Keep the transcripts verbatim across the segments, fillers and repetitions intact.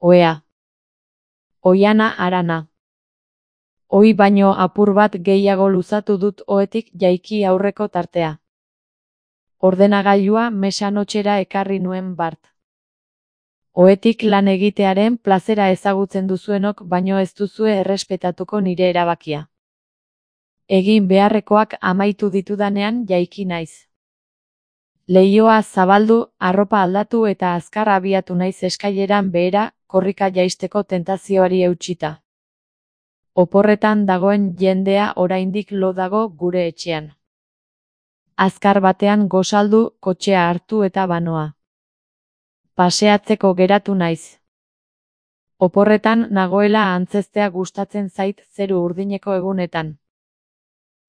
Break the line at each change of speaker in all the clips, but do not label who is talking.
Ohea. Oihana harana. Ohi baino apur bat gehiago luzatu dut ohetik jaiki aurreko tartea. Ordenagailua mesanotxera ekarri nuen bart. Ohetik lan egitearen plazera ezagutzen duzuenok baino ez duzue errespetatuko nire erabakia. Egin beharrekoak amaitu ditudanean jaiki naiz. Leihoa zabaldu, arropa aldatu eta azkar abiatu naiz eskaileran behera, korrika jaisteko tentazioari eutsita. Oporretan dagoen jendea oraindik lo dago gure etxean. Azkar batean gosaldu, kotxea hartu eta banoa. Paseatzeko geratu naiz. Oporretan nagoela antzeztea gustatzen zait zeru urdineko egunetan.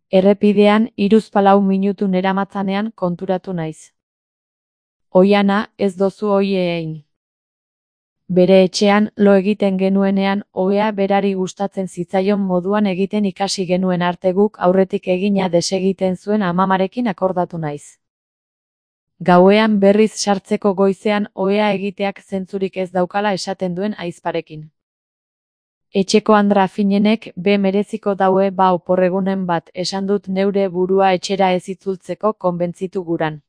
Errepidean hiruzpalau minutu neramatzanean konturatu naiz. Oihana, ez dozu ohi egin. Bere etxean lo egiten genuenean ohea berari gustatzen zitzaion moduan egiten ikasi genuen arte guk aurretik egina desegiten zuen amamarekin akordatu naiz. Gauean berriz sartzeko goizean ohea egiteak zentzurik ez daukala esaten duen ahizparekin. Etxeko andra finenek be mereziko daue ba oporregunen bat esan dut neure burua etxera ez itzultzeko konbentzitu guran.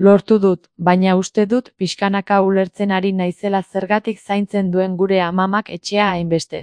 Lortu dut, baina uste dut pixkanaka ulertzen ari naizela zergatik zaintzen duen gure amamak etxea hainbeste.